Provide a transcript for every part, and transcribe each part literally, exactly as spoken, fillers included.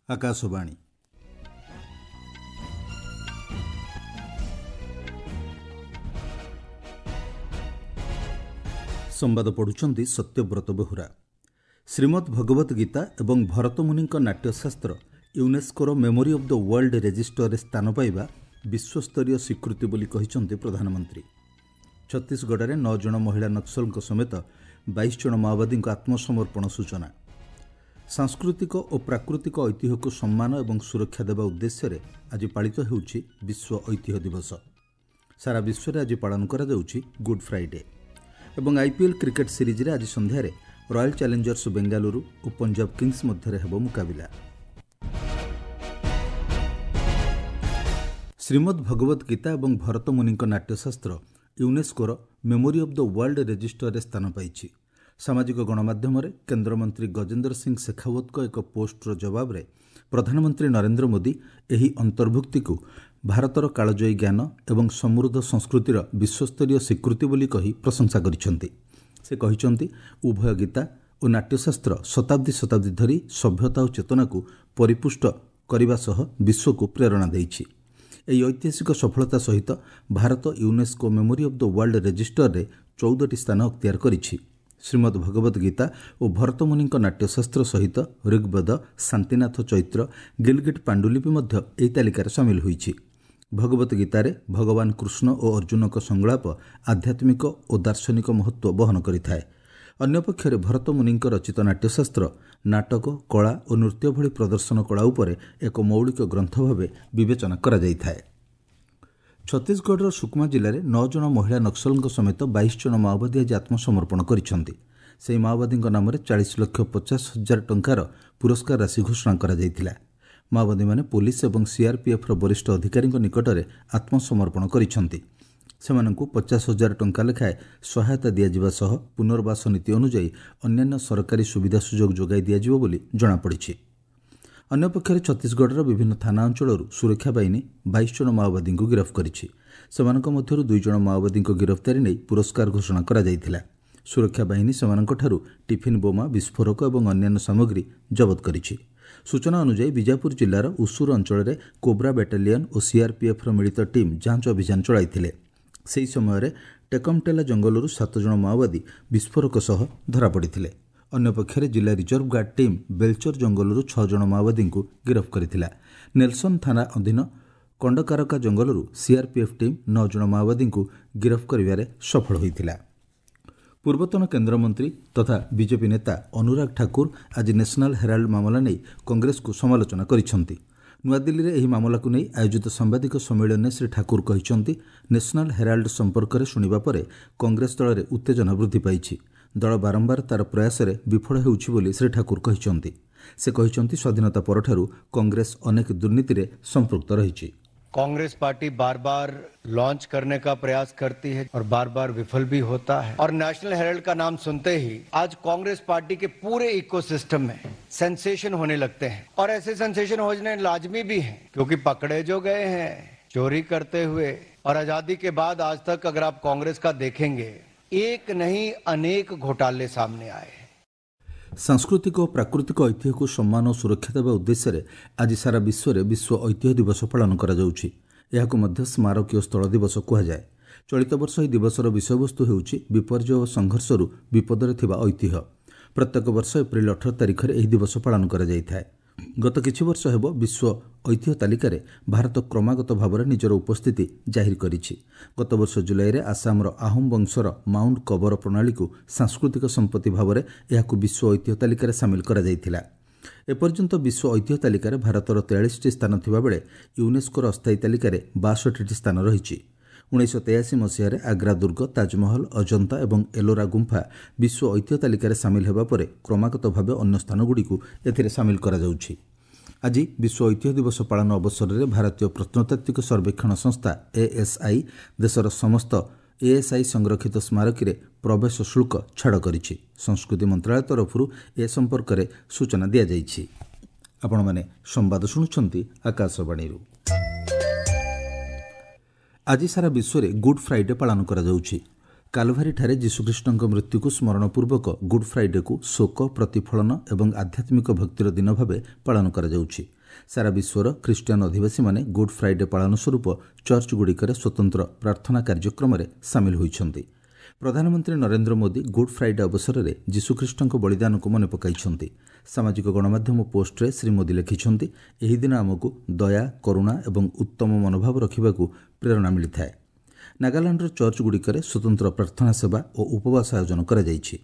ଆକାଶବାଣୀ। ସମ୍ବାଦ ପଢ଼ୁଛନ୍ତି ସତ୍ୟବ୍ରତ ବେହୁରା। ଶ୍ରୀମଦ୍ ଭଗବତ ଗୀତା ଏବଂ ଭରତମୁନିଙ୍କ ନାଟ୍ୟଶାସ୍ତ୍ର ୟୁନେସ୍କୋର ମେମୋରି ଅଫ୍ the world ରେଜିଷ୍ଟରରେ ସ୍ଥାନ ପାଇବା ବିଶ୍ୱସ୍ତରୀୟ ସ୍ୱୀକୃତି ବୋଲି କହିଛନ୍ତି ପ୍ରଧାନମନ୍ତ୍ରୀ। ଛତିଶଗଡ଼ରେ ନଅ ଜଣ ମହିଳା ନକ୍ସଲଙ୍କ ସମେତ ବାଇଶ ଜଣ ମାଓବାଦୀଙ୍କ ଆତ୍ମସମର୍ପଣ ସୂଚନା। ସାଂସ୍କୃତିକ ଓ ପ୍ରାକୃତିକ ଐତିହ୍ୟକୁ ସମ୍ମାନ ଏବଂ ସୁରକ୍ଷା ଦେବା ଉଦ୍ଦେଶ୍ୟରେ ଆଜି ପାଳିତ ହେଉଛି ବିଶ୍ୱ ଐତିହ୍ୟ ଦିବସ। ସାରା ବିଶ୍ୱରେ ଆଜି ପାଳନ କରାଯାଉଛି ଗୁଡ୍ ଫ୍ରାଇଡେ। ଏବଂ ଆଇପିଏଲ୍ କ୍ରିକେଟ୍ ସିରିଜ୍ରେ ଆଜି ସନ୍ଧ୍ୟାରେ ରୟାଲ ଚ୍ୟାଲେଞ୍ଜର୍ସ ବେଙ୍ଗାଲୁରୁ ଓ ପଞ୍ଜାବ କିଙ୍ଗସ୍ ମଧ୍ୟରେ ହେବ ମୁକାବିଲା। ଶ୍ରୀମଦ୍ ଭଗବତ ଗୀତା ଏବଂ ଭରତମୁନିଙ୍କ ନାଟ୍ୟଶାସ୍ତ୍ର ୟୁନେସ୍କୋର ମେମୋରି ଅଫ୍ the world ରେଜିଷ୍ଟରରେ ସ୍ଥାନ ପାଇଛି। ସାମାଜିକ ଗଣମାଧ୍ୟମରେ କେନ୍ଦ୍ରମନ୍ତ୍ରୀ ଗଜେନ୍ଦ୍ର ସିଂ ଶେଖାଓ୍ୱତଙ୍କ ଏକ ପୋଷ୍ଟର ଜବାବରେ ପ୍ରଧାନମନ୍ତ୍ରୀ ନରେନ୍ଦ୍ର ମୋଦି ଏହି ଅନ୍ତର୍ଭୁକ୍ତିକୁ ଭାରତର କାଳଜୟୀ ଜ୍ଞାନ ଏବଂ ସମୃଦ୍ଧ ସଂସ୍କୃତିର ବିଶ୍ୱସ୍ତରୀୟ ସ୍ୱୀକୃତି ବୋଲି କହି ପ୍ରଶଂସା କରିଛନ୍ତି। ସେ କହିଛନ୍ତି, ଉଭୟ ଗୀତା ଓ ନାଟ୍ୟଶାସ୍ତ୍ର ଶତାବ୍ଦୀ ଶତାବ୍ଦୀ ଧରି ସଭ୍ୟତା ଓ ଚେତନାକୁ ପରିପୁଷ୍ଟ କରିବା ସହ ବିଶ୍ୱକୁ ପ୍ରେରଣା ଦେଇଛି। ଏହି ଐତିହାସିକ ସଫଳତା ସହିତ Bharat UNESCO memory of the world ରେଜିଷ୍ଟରରେ ଚଉଦଟି ସ୍ଥାନ ଅକ୍ତିଆର କରିଛି। ଶ୍ରୀମଦ୍ ଭଗବତ ଗୀତା ଓ ଭରତମୁନିଙ୍କ ନାଟ୍ୟଶାସ୍ତ୍ର ସହିତ ଋଗ୍ବେଦ, ଶାନ୍ତିନାଥ ଚୈତ୍ର, ଗିଲଗିଟ୍ ପାଣ୍ଡୁଲିପି ମଧ୍ୟ ଏହି ତାଲିକାରେ ସାମିଲ ହୋଇଛି। ଭଗବତ ଗୀତାରେ ଭଗବାନ କୃଷ୍ଣ ଓ ଅର୍ଜୁନଙ୍କ ସଂଳାପ ଆଧ୍ୟାତ୍ମିକ ଓ ଦାର୍ଶନିକ ମହତ୍ତ୍ୱ ବହନ କରିଥାଏ। ଅନ୍ୟପକ୍ଷରେ ଭରତମୁନିଙ୍କ ରଚିତ ନାଟ୍ୟଶାସ୍ତ୍ର ନାଟକ, କଳା ଓ ନୃତ୍ୟ ଭଳି ପ୍ରଦର୍ଶନ କଳା ଉପରେ ଏକ ମୌଳିକ ଗ୍ରନ୍ଥ ଭାବେ ବିବେଚନା କରାଯାଇଥାଏ। ଛତିଶଗଡ଼ର ସୁକମା ଜିଲ୍ଲାରେ ନଅ ଜଣ ମହିଳା ନକ୍ସଲଙ୍କ ସମେତ ବାଇଶ ଜଣ ମାଓବାଦୀ ଆଜି ଆତ୍ମସମର୍ପଣ କରିଛନ୍ତି। ସେହି ମାଓବାଦୀଙ୍କ ନାମରେ ଚାଳିଶ ଲକ୍ଷ ପଚାଶ ହଜାର ଟଙ୍କାର ପୁରସ୍କାର ରାଶି ଘୋଷଣା କରାଯାଇଥିଲା। ମାଓବାଦୀମାନେ ପୋଲିସ ଏବଂ ସିଆର୍ପିଏଫ୍ର ବରିଷ୍ଠ ଅଧିକାରୀଙ୍କ ନିକଟରେ ଆତ୍ମସମର୍ପଣ କରିଛନ୍ତି। ସେମାନଙ୍କୁ ପଚାଶ ହଜାର ଟଙ୍କା ଲେଖାଏଁ ସହାୟତା ଦିଆଯିବା ସହ ପୁନର୍ବାସ ନୀତି ଅନୁଯାୟୀ ଅନ୍ୟାନ୍ୟ ସରକାରୀ ସୁବିଧା ସୁଯୋଗ ଯୋଗାଇ ଦିଆଯିବ ବୋଲି ଜଣାପଡ଼ିଛି। ଅନ୍ୟପକ୍ଷରେ ଛତିଶଗଡ଼ର ବିଭିନ୍ନ ଥାନା ଅଞ୍ଚଳରୁ ସୁରକ୍ଷା ବାହିନୀ ବାଇଶ ଜଣ ମାଓବାଦୀଙ୍କୁ ଗିରଫ କରିଛି। ସେମାନଙ୍କ ମଧ୍ୟରୁ ଦୁଇ ଜଣ ମାଓବାଦୀଙ୍କ ଗିରଫଦାରୀ ନେଇ ପୁରସ୍କାର ଘୋଷଣା କରାଯାଇଥିଲା। ସୁରକ୍ଷା ବାହିନୀ ସେମାନଙ୍କଠାରୁ ଟିଫିନ୍ ବୋମା, ବିସ୍ଫୋରକ ଏବଂ ଅନ୍ୟାନ୍ୟ ସାମଗ୍ରୀ ଜବତ କରିଛି। ସୂଚନା ଅନୁଯାୟୀ ବିଜାପୁର ଜିଲ୍ଲାର ଉସୁର ଅଞ୍ଚଳରେ କୋବ୍ରା ବାଟାଲିୟନ୍ ଓ ସିଆର୍ପିଏଫ୍ର ମିଳିତ ଟିମ୍ ଯାଞ୍ଚ ଅଭିଯାନ ଚଳାଇଥିଲେ। ସେହି ସମୟରେ ଟେକମଟେଲା ଜଙ୍ଗଲରୁ ସାତ ଜଣ ମାଓବାଦୀ ବିସ୍ଫୋରକ ସହ ଧରାପଡ଼ିଥିଲେ। ଅନ୍ୟପକ୍ଷରେ ଜିଲ୍ଲା ରିଜର୍ଭ ଗାର୍ଡ ଟିମ୍ ବେଲଚର ଜଙ୍ଗଲରୁ ଛଅ ଜଣ ମାଓବାଦୀଙ୍କୁ ଗିରଫ କରିଥିଲା। ନେଲସନ୍ ଥାନା ଅଧୀନ କଣ୍ଡକାରକା ଜଙ୍ଗଲରୁ ସିଆର୍ପିଏଫ୍ ଟିମ୍ ନଅ ଜଣ ମାଓବାଦୀଙ୍କୁ ଗିରଫ କରିବାରେ ସଫଳ ହୋଇଥିଲା। ପୂର୍ବତନ କେନ୍ଦ୍ରମନ୍ତ୍ରୀ ତଥା ବିଜେପି ନେତା ଅନୁରାଗ ଠାକୁର ଆଜି ନ୍ୟାସନାଲ୍ ହେରାଲ୍ଡ ମାମଲା ନେଇ କଂଗ୍ରେସକୁ ସମାଲୋଚନା କରିଛନ୍ତି। ନୂଆଦିଲ୍ଲୀରେ ଏହି ମାମଲାକୁ ନେଇ ଆୟୋଜିତ ସାମ୍ବାଦିକ ସମ୍ମିଳନୀରେ ଶ୍ରୀ ଠାକୁର କହିଛନ୍ତି, ନ୍ୟାସନାଲ୍ ହେରାଲ୍ଡ ସମ୍ପର୍କରେ ଶୁଣିବା ପରେ କଂଗ୍ରେସ ଦଳରେ ଉତ୍ତେଜନା ବୃଦ୍ଧି ପାଇଛି। ଦଳ ବାରମ୍ବାର ତା'ର ପ୍ରୟାସରେ ବିଫଳ ହେଉଛି ବୋଲି ଶ୍ରୀ ଠାକୁର କହିଛନ୍ତି। ସେ କହିଛନ୍ତି, ସ୍ୱାଧୀନତା ପରଠାରୁ କଂଗ୍ରେସ ଅନେକ ଦୁର୍ନୀତିରେ ସମ୍ପୃକ୍ତ ରହିଛି। कांग्रेस पार्टी बार बार लॉन्च करने का प्रयास करती है और बार बार विफल भी होता है। और नेशनल हेराल्ड का नाम सुनते ही आज कांग्रेस पार्टी के पूरे इकोसिस्टम में सेंसेशन होने लगते हैं और ऐसे सेंसेशन होने लाजमी भी हैं, क्योंकि पकड़े जो गए हैं चोरी करते हुए। और आजादी के बाद आज तक अगर आप कांग्रेस का देखेंगे, एक नहीं अनेक घोटाले सामने आए। ସାଂସ୍କୃତିକ ଓ ପ୍ରାକୃତିକ ଐତିହ୍ୟକୁ ସମ୍ମାନ ଓ ସୁରକ୍ଷା ଦେବା ଉଦ୍ଦେଶ୍ୟରେ ଆଜି ସାରା ବିଶ୍ୱରେ ବିଶ୍ୱ ଐତିହ୍ୟ ଦିବସ ପାଳନ କରାଯାଉଛି। ଏହାକୁ ମଧ୍ୟ ସ୍ମାରକୀୟ ସ୍ଥଳ ଦିବସ କୁହାଯାଏ। ଚଳିତ ବର୍ଷ ଏହି ଦିବସର ବିଷୟବସ୍ତୁ ହେଉଛି ବିପର୍ଯ୍ୟୟ ଓ ସଂଘର୍ଷରୁ ବିପଦରେ ଥିବା ଐତିହ୍ୟ। ପ୍ରତ୍ୟେକ ବର୍ଷ ଏପ୍ରିଲ ଅଠର ତାରିଖରେ ଏହି ଦିବସ ପାଳନ କରାଯାଇଥାଏ। ଗତ କିଛି ବର୍ଷ ହେବ ବିଶ୍ୱ ଐତିହ୍ୟ ତାଲିକାରେ ଭାରତ କ୍ରମାଗତ ଭାବରେ ନିଜର ଉପସ୍ଥିତି ଜାହିର କରିଛି। ଗତବର୍ଷ ଜୁଲାଇରେ ଆସାମର ଆହୋମ ବଂଶର ମାଉଣ୍ଟ କବର ପ୍ରଣାଳୀକୁ ସାଂସ୍କୃତିକ ସମ୍ପତ୍ତି ଭାବରେ ଏହାକୁ ବିଶ୍ୱ ଐତିହ୍ୟ ତାଲିକାରେ ସାମିଲ କରାଯାଇଥିଲା। ଏପର୍ଯ୍ୟନ୍ତ ବିଶ୍ୱ ଐତିହ୍ୟ ତାଲିକାରେ ଭାରତର ତେୟାଳିଶଟି ସ୍ଥାନ ଥିବାବେଳେ ୟୁନେସ୍କୋର ଅସ୍ଥାୟୀ ତାଲିକାରେ ବାଷଠିଟି ସ୍ଥାନ ରହିଛି। ଉଣେଇଶହ ତେୟାଅଶୀ ମସିହାରେ ଆଗ୍ରା ଦୁର୍ଗ, ତାଜମହଲ, ଅଜନ୍ତା ଏବଂ ଏଲୋରା ଗୁମ୍ଫା ବିଶ୍ୱ ଐତିହ୍ୟ ତାଲିକାରେ ସାମିଲ ହେବା ପରେ କ୍ରମାଗତ ଭାବେ ଅନ୍ୟ ସ୍ଥାନଗୁଡ଼ିକୁ ଏଥିରେ ସାମିଲ କରାଯାଉଛି। ଆଜି ବିଶ୍ୱ ଐତିହ୍ୟ ଦିବସ ପାଳନ ଅବସରରେ ଭାରତୀୟ ପ୍ରତ୍ନତାତ୍ତ୍ୱିକ ସର୍ବେକ୍ଷଣ ସଂସ୍ଥା ଏଏସ୍ଆଇ ଦେଶର ସମସ୍ତ ଏଏସ୍ଆଇ ସଂରକ୍ଷିତ ସ୍ମାରକୀରେ ପ୍ରବେଶ ଶୁଳ୍କ ଛାଡ଼ କରିଛି। ସଂସ୍କୃତି ମନ୍ତ୍ରାଳୟ ତରଫରୁ ଏ ସମ୍ପର୍କରେ ସୂଚନା ଦିଆଯାଇଛି। ଆପଣମାନେ ସମ୍ବାଦ ଶୁଣୁଛନ୍ତି ଆକାଶବାଣୀରୁ। ଆଜି ସାରା ବିଶ୍ୱରେ ଗୁଡ୍ ଫ୍ରାଇଡେ ପାଳନ କରାଯାଉଛି। କାଲଭାରିଠାରେ ଯୀଶୁଖ୍ରୀଷ୍ଟଙ୍କ ମୃତ୍ୟୁକୁ ସ୍ମରଣପୂର୍ବକ ଗୁଡ୍ ଫ୍ରାଇଡେକୁ ଶୋକ, ପ୍ରତିଫଳନ ଏବଂ ଆଧ୍ୟାତ୍ମିକ ଭକ୍ତିର ଦିନ ଭାବେ ପାଳନ କରାଯାଉଛି। ସାରା ବିଶ୍ୱର ଖ୍ରୀଷ୍ଟିଆନ ଅଧିବାସୀମାନେ ଗୁଡ୍ ଫ୍ରାଇଡେ ପାଳନ ସ୍ୱରୂପ ଚର୍ଚ୍ଚଗୁଡ଼ିକରେ ସ୍ୱତନ୍ତ୍ର ପ୍ରାର୍ଥନା କାର୍ଯ୍ୟକ୍ରମରେ ସାମିଲ ହୋଇଛନ୍ତି। ପ୍ରଧାନମନ୍ତ୍ରୀ ନରେନ୍ଦ୍ର ମୋଦି ଗୁଡ୍ ଫ୍ରାଇଡେ ଅବସରରେ ଯୀଶୁଖ୍ରୀଷ୍ଟଙ୍କ ବଳିଦାନକୁ ମନେ ପକାଇଛନ୍ତି। ସାମାଜିକ ଗଣମାଧ୍ୟମ ପୋଷ୍ଟରେ ଶ୍ରୀ ମୋଦି ଲେଖିଛନ୍ତି, ଏହି ଦିନ ଆମକୁ ଦୟା, କରୁଣା ଏବଂ ଉତ୍ତମ ମନୋଭାବ ରଖିବାକୁ ପ୍ରେରଣା ମିଳିଥାଏ। ନାଗାଲାଣ୍ଡର ଚର୍ଚ୍ଚଗୁଡ଼ିକରେ ସ୍ୱତନ୍ତ୍ର ପ୍ରାର୍ଥନା ସେବା ଓ ଉପବାସ ଆୟୋଜନ କରାଯାଇଛି।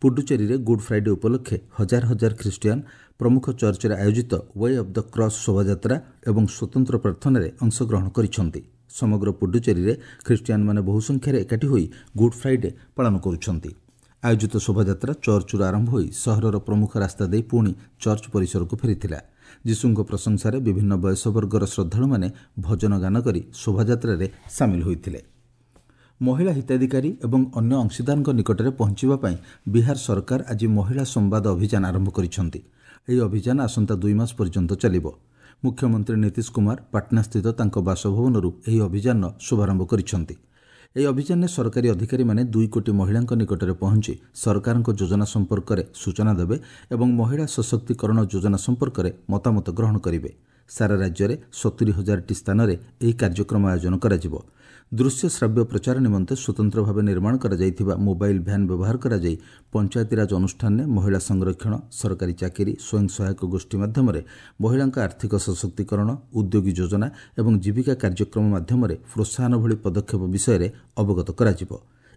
ପୁଡୁଚେରୀରେ ଗୁଡ୍ ଫ୍ରାଇଡେ ଉପଲକ୍ଷେ ହଜାର ହଜାର ଖ୍ରୀଷ୍ଟିଆନ ପ୍ରମୁଖ ଚର୍ଚ୍ଚରେ ଆୟୋଜିତ we of the cross ଶୋଭାଯାତ୍ରା ଏବଂ ସ୍ୱତନ୍ତ୍ର ପ୍ରାର୍ଥନାରେ ଅଂଶଗ୍ରହଣ କରିଛନ୍ତି। ସମଗ୍ର ପୁଡୁଚେରୀରେ ଖ୍ରୀଷ୍ଟିଆନମାନେ ବହୁ ସଂଖ୍ୟାରେ ଏକାଠି ହୋଇ ଗୁଡ୍ ଫ୍ରାଇଡେ ପାଳନ କରୁଛନ୍ତି। ଆୟୋଜିତ ଶୋଭାଯାତ୍ରା ଚର୍ଚ୍ଚରୁ ଆରମ୍ଭ ହୋଇ ସହରର ପ୍ରମୁଖ ରାସ୍ତା ଦେଇ ପୁଣି ଚର୍ଚ୍ଚ ପରିସରକୁ ଫେରିଥିଲା। ଯୀଶୁଙ୍କ ପ୍ରଶଂସାରେ ବିଭିନ୍ନ ବୟସ ବର୍ଗର ଶ୍ରଦ୍ଧାଳୁମାନେ ଭଜନ ଗାନ କରି ଶୋଭାଯାତ୍ରାରେ ସାମିଲ ହୋଇଥିଲେ। ମହିଳା ହିତାଧିକାରୀ ଏବଂ ଅନ୍ୟ ଅଂଶୀଦାରଙ୍କ ନିକଟରେ ପହଞ୍ଚିବା ପାଇଁ ବିହାର ସରକାର ଆଜି ମହିଳା ସମ୍ବାଦ ଅଭିଯାନ ଆରମ୍ଭ କରିଛନ୍ତି। ଏହି ଅଭିଯାନ ଆସନ୍ତା ଦୁଇ ମାସ ପର୍ଯ୍ୟନ୍ତ ଚାଲିବ। ମୁଖ୍ୟମନ୍ତ୍ରୀ ନୀତିଶ କୁମାର ପାଟନାସ୍ଥିତ ତାଙ୍କ ବାସଭବନରୁ ଏହି ଅଭିଯାନର ଶୁଭାରମ୍ଭ କରିଛନ୍ତି। ଏହି ଅଭିଯାନରେ ସରକାରୀ ଅଧିକାରୀମାନେ ଦୁଇ କୋଟି ମହିଳାଙ୍କ ନିକଟରେ ପହଞ୍ଚି ସରକାରଙ୍କ ଯୋଜନା ସମ୍ପର୍କରେ ସୂଚନା ଦେବେ ଏବଂ ମହିଳା ସଶକ୍ତିକରଣ ଯୋଜନା ସମ୍ପର୍କରେ ମତାମତ ଗ୍ରହଣ କରିବେ। ସାରା ରାଜ୍ୟରେ ସତୁରି ହଜାରଟି ସ୍ଥାନରେ ଏହି କାର୍ଯ୍ୟକ୍ରମ ଆୟୋଜନ କରାଯିବ। ଦୃଶ୍ୟ ଶ୍ରାବ୍ୟ ପ୍ରଚାର ନିମନ୍ତେ ସ୍ୱତନ୍ତ୍ର ଭାବେ ନିର୍ମାଣ କରାଯାଇଥିବା ମୋବାଇଲ୍ ଭ୍ୟାନ୍ ବ୍ୟବହାର କରାଯାଇ ପଞ୍ଚାୟତିରାଜ ଅନୁଷ୍ଠାନରେ ମହିଳା ସଂରକ୍ଷଣ, ସରକାରୀ ଚାକିରି, ସ୍ୱୟଂ ସହାୟକ ଗୋଷ୍ଠୀ ମାଧ୍ୟମରେ ମହିଳାଙ୍କ ଆର୍ଥିକ ସଶକ୍ତିକରଣ, ଉଦ୍ୟୋଗୀ ଯୋଜନା ଏବଂ ଜୀବିକା କାର୍ଯ୍ୟକ୍ରମ ମାଧ୍ୟମରେ ପ୍ରୋତ୍ସାହନ ଭଳି ପଦକ୍ଷେପ ବିଷୟରେ ଅବଗତ କରାଯିବ।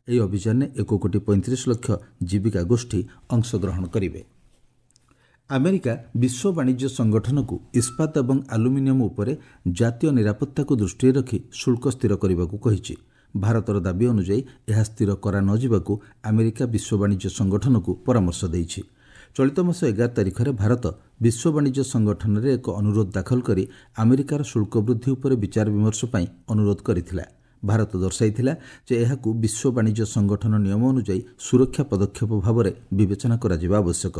ଏହି ଅଭିଯାନରେ ଏକ କୋଟି ପଇଁତିରିଶ ଲକ୍ଷ ଜୀବିକା ଗୋଷ୍ଠୀ ଅଂଶଗ୍ରହଣ କରିବେ। ଆମେରିକା ବିଶ୍ୱ ବାଣିଜ୍ୟ ସଂଗଠନକୁ ଇସ୍ପାତ ଏବଂ ଆଲୁମିନିୟମ ଉପରେ ଜାତୀୟ ନିରାପତ୍ତାକୁ ଦୃଷ୍ଟିରେ ରଖି ଶୁଳ୍କ ସ୍ଥିର କରିବାକୁ କହିଛି। ଭାରତର ଦାବି ଅନୁଯାୟୀ ଏହା ସ୍ଥିର କରାନଯିବାକୁ ଆମେରିକା ବିଶ୍ୱ ବାଣିଜ୍ୟ ସଂଗଠନକୁ ପରାମର୍ଶ ଦେଇଛି। ଚଳିତ ମାସ ଏଗାର ତାରିଖରେ ଭାରତ ବିଶ୍ୱ ବାଣିଜ୍ୟ ସଂଗଠନରେ ଏକ ଅନୁରୋଧ ଦାଖଲ କରି ଆମେରିକାର ଶୁଳ୍କ ବୃଦ୍ଧି ଉପରେ ବିଚାର ବିମର୍ଶ ପାଇଁ ଅନୁରୋଧ କରିଥିଲା। ଭାରତ ଦର୍ଶାଇଥିଲା ଯେ ଏହାକୁ ବିଶ୍ୱ ବାଣିଜ୍ୟ ସଂଗଠନ ନିୟମ ଅନୁଯାୟୀ ସୁରକ୍ଷା ପଦକ୍ଷେପ ଭାବରେ ବିବେଚନା କରାଯିବା ଆବଶ୍ୟକ।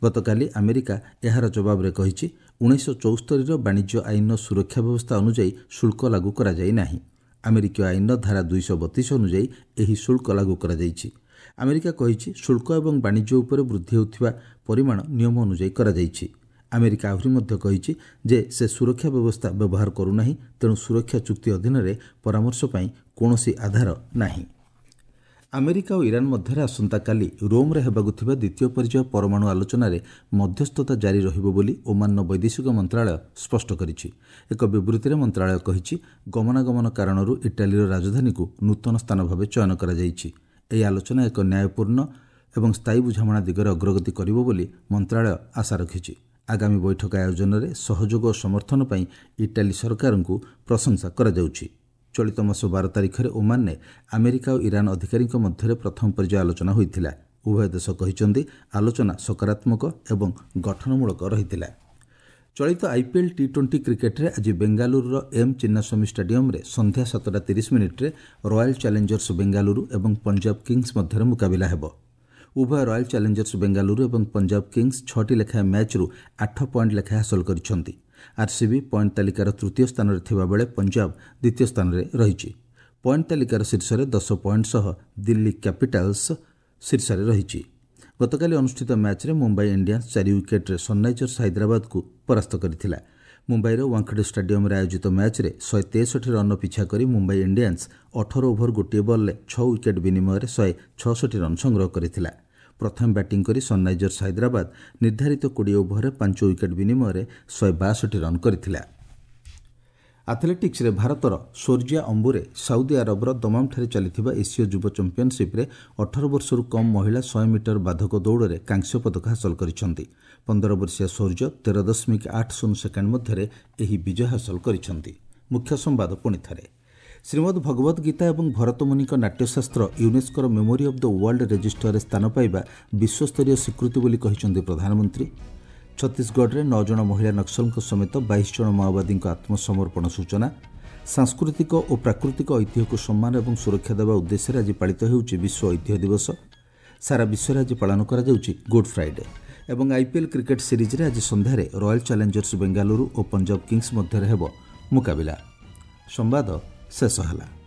ଗତକାଲି ଆମେରିକା ଏହାର ଜବାବରେ କହିଛି, ଉଣେଇଶହ ଚଉସ୍ତରୀର ବାଣିଜ୍ୟ ଆଇନର ସୁରକ୍ଷା ବ୍ୟବସ୍ଥା ଅନୁଯାୟୀ ଶୁଳ୍କ ଲାଗୁ କରାଯାଇ ନାହିଁ। ଆମେରିକୀୟ ଆଇନର ଧାରା ଦୁଇଶହ ବତିଶ ଅନୁଯାୟୀ ଏହି ଶୁଳ୍କ ଲାଗୁ କରାଯାଇଛି। ଆମେରିକା କହିଛି, ଶୁଳ୍କ ଏବଂ ବାଣିଜ୍ୟ ଉପରେ ବୃଦ୍ଧି ହେଉଥିବା ପରିମାଣ ନିୟମ ଅନୁଯାୟୀ କରାଯାଇଛି। ଆମେରିକା ଆହୁରି ମଧ୍ୟ କହିଛି ଯେ ସେ ସୁରକ୍ଷା ବ୍ୟବସ୍ଥା ବ୍ୟବହାର କରୁନାହିଁ, ତେଣୁ ସୁରକ୍ଷା ଚୁକ୍ତି ଅଧୀନରେ ପରାମର୍ଶ ପାଇଁ କୌଣସି ଆଧାର ନାହିଁ। ଆମେରିକା ଓ ଇରାନ ମଧ୍ୟରେ ଆସନ୍ତାକାଲି ରୋମ୍ରେ ହେବାକୁ ଥିବା ଦ୍ୱିତୀୟ ପର୍ଯ୍ୟାୟ ପରମାଣୁ ଆଲୋଚନାରେ ମଧ୍ୟସ୍ଥତା ଜାରି ରହିବ ବୋଲି ଓମାନର ବୈଦେଶିକ ମନ୍ତ୍ରଣାଳୟ ସ୍ପଷ୍ଟ କରିଛି। ଏକ ବିବୃତ୍ତିରେ ମନ୍ତ୍ରଣାଳୟ କହିଛି, ଗମନାଗମନ କାରଣରୁ ଇଟାଲୀର ରାଜଧାନୀକୁ ନୂତନ ସ୍ଥାନ ଭାବେ ଚୟନ କରାଯାଇଛି। ଏହି ଆଲୋଚନା ଏକ ନ୍ୟାୟପୂର୍ଣ୍ଣ ଏବଂ ସ୍ଥାୟୀ ବୁଝାମଣା ଦିଗରେ ଅଗ୍ରଗତି କରିବ ବୋଲି ମନ୍ତ୍ରଣାଳୟ ଆଶା ରଖିଛି। ଆଗାମୀ ବୈଠକ ଆୟୋଜନରେ ସହଯୋଗ ଓ ସମର୍ଥନ ପାଇଁ ଇଟାଲୀ ସରକାରଙ୍କୁ ପ୍ରଶଂସା କରାଯାଉଛି। ଚଳିତ ମାସ ବାର ତାରିଖରେ ଓମାନରେ ଆମେରିକା ଓ ଇରାନ ଅଧିକାରୀଙ୍କ ମଧ୍ୟରେ ପ୍ରଥମ ପର୍ଯ୍ୟାୟ ଆଲୋଚନା ହୋଇଥିଲା। ଉଭୟ ଦେଶ କହିଛନ୍ତି, ଆଲୋଚନା ସକାରାତ୍ମକ ଏବଂ ଗଠନମୂଳକ ରହିଥିଲା। ଚଳିତ ଆଇପିଏଲ୍ ଟି ଟ୍ୱେଣ୍ଟି କ୍ରିକେଟ୍ରେ ଆଜି ବେଙ୍ଗାଲୁରୁର ଏମ୍ ଚିନ୍ନାସ୍ୱାମୀ ଷ୍ଟାଡିୟମ୍ରେ ସନ୍ଧ୍ୟା ସାତଟା ତିରିଶ ମିନିଟ୍ରେ ରୟାଲ୍ ଚ୍ୟାଲେଞ୍ଜର୍ସ ବେଙ୍ଗାଲୁରୁ ଏବଂ ପଞ୍ଜାବ କିଙ୍ଗସ୍ ମଧ୍ୟରେ ମୁକାବିଲା ହେବ। ଉଭୟ ରୟାଲ୍ ଚ୍ୟାଲେଞ୍ଜର୍ସ ବେଙ୍ଗାଲୁରୁ ଏବଂ ପଞ୍ଜାବ କିଙ୍ଗସ୍ ଛଅଟି ଲେଖାଏଁ ମ୍ୟାଚ୍ରୁ ଆଠ ପଏଣ୍ଟ ଲେଖାଏଁ ହାସଲ କରିଛନ୍ତି। ଆର୍ସିବି ପଏଣ୍ଟ ତାଲିକାର ତୃତୀୟ ସ୍ଥାନରେ ଥିବାବେଳେ ପଞ୍ଜାବ ଦ୍ୱିତୀୟ ସ୍ଥାନରେ ରହିଛି। ପଏଣ୍ଟ ତାଲିକାର ଶୀର୍ଷରେ ଦଶ ପଏଣ୍ଟ ସହ ଦିଲ୍ଲୀ କ୍ୟାପିଟାଲ୍ସ ଶୀର୍ଷରେ ରହିଛି। ଗତକାଲି ଅନୁଷ୍ଠିତ ମ୍ୟାଚ୍ରେ ମୁମ୍ବାଇ ଇଣ୍ଡିଆନ୍ସ ଚାରି ୱିକେଟ୍ରେ ସନ୍ରାଇଜର୍ସ ହାଇଦ୍ରାବାଦକୁ ପରାସ୍ତ କରିଥିଲା। ମୁମ୍ବାଇର ୱାଙ୍ଖଡେ ଷ୍ଟାଡିୟମ୍ରେ ଆୟୋଜିତ ମ୍ୟାଚ୍ରେ ଶହେ ତେଷଠି ରନ୍ର ପିଛା କରି ମୁମ୍ବାଇ ଇଣ୍ଡିଆନ୍ସ ଅଠର ଓଭର ଗୋଟିଏ ବଲ୍ରେ ଛଅ ୱିକେଟ୍ ବିନିମୟରେ ଶହେ ଛଅଷଠି ରନ୍ ସଂଗ୍ରହ କରିଥିଲା। ପ୍ରଥମେ ବ୍ୟାଟିଂ କରି ସନ୍ରାଇଜର୍ସ ହାଇଦ୍ରାବାଦ ନିର୍ଦ୍ଧାରିତ କୋଡ଼ିଏ ଓଭରରେ ପାଞ୍ଚ ୱିକେଟ୍ ବିନିମୟରେ ଶହେ ବାଷଠି ରନ୍ କରିଥିଲା। ଆଥଲେଟିକ୍ସରେ ଭାରତର ସୋର୍ଜିଆ ଅମ୍ବୁରେ ସାଉଦି ଆରବର ଦମାମଠାରେ ଚାଲିଥିବା ଏସୀୟ ଯୁବ ଚାମ୍ପିୟନସିପ୍ରେ ଅଠର ବର୍ଷରୁ କମ୍ ମହିଳା ଶହେ ମିଟର ବାଧକ ଦୌଡ଼ରେ କାଂସ୍ୟ ପଦକ ହାସଲ କରିଛନ୍ତି। ପନ୍ଦର ବର୍ଷୀୟ ସୌର୍ଯ୍ୟ ତେର ଦଶମିକ ଆଠ ଶୂନ ସେକେଣ୍ଡ ମଧ୍ୟରେ ଏହି ବିଜୟ ହାସଲ କରିଛନ୍ତି। ମୁଖ୍ୟ ସମ୍ବାଦ ପୁଣି ଥରେ। ଶ୍ରୀମଦ୍ ଭଗବଦ୍ ଗୀତା ଏବଂ ଭରତମୁନିଙ୍କ ନାଟ୍ୟଶାସ୍ତ୍ର ୟୁନେସ୍କୋର ମେମୋରି ଅଫ୍ the world ରେଜିଷ୍ଟରରେ ସ୍ଥାନ ପାଇବା ବିଶ୍ୱସ୍ତରୀୟ ସ୍ୱୀକୃତି ବୋଲି କହିଛନ୍ତି ପ୍ରଧାନମନ୍ତ୍ରୀ। ଛତିଶଗଡ଼ରେ ନଅ ଜଣ ମହିଳା ନକ୍ସଲଙ୍କ ସମେତ ବାଇଶ ଜଣ ମାଓବାଦୀଙ୍କ ଆତ୍ମସମର୍ପଣ ସୂଚନା। ସାଂସ୍କୃତିକ ଓ ପ୍ରାକୃତିକ ଐତିହ୍ୟକୁ ସମ୍ମାନ ଏବଂ ସୁରକ୍ଷା ଦେବା ଉଦ୍ଦେଶ୍ୟରେ ଆଜି ପାଳିତ ହେଉଛି ବିଶ୍ୱ ଐତିହ୍ୟ ଦିବସ। ସାରା ବିଶ୍ୱରେ ଆଜି ପାଳନ କରାଯାଉଛି ଗୁଡ୍ ଫ୍ରାଇଡେ। ଏବଂ ଆଇପିଏଲ୍ କ୍ରିକେଟ୍ ସିରିଜ୍ରେ ଆଜି ସନ୍ଧ୍ୟାରେ ରୟାଲ୍ ଚ୍ୟାଲେଞ୍ଜର୍ସ ବେଙ୍ଗାଲୁରୁ ଓ ପଞ୍ଜାବ କିଙ୍ଗସ୍ ମଧ୍ୟରେ ହେବ ମୁକାବିଲା। ସମ୍ବାଦ ଶେଷ ହେଲା।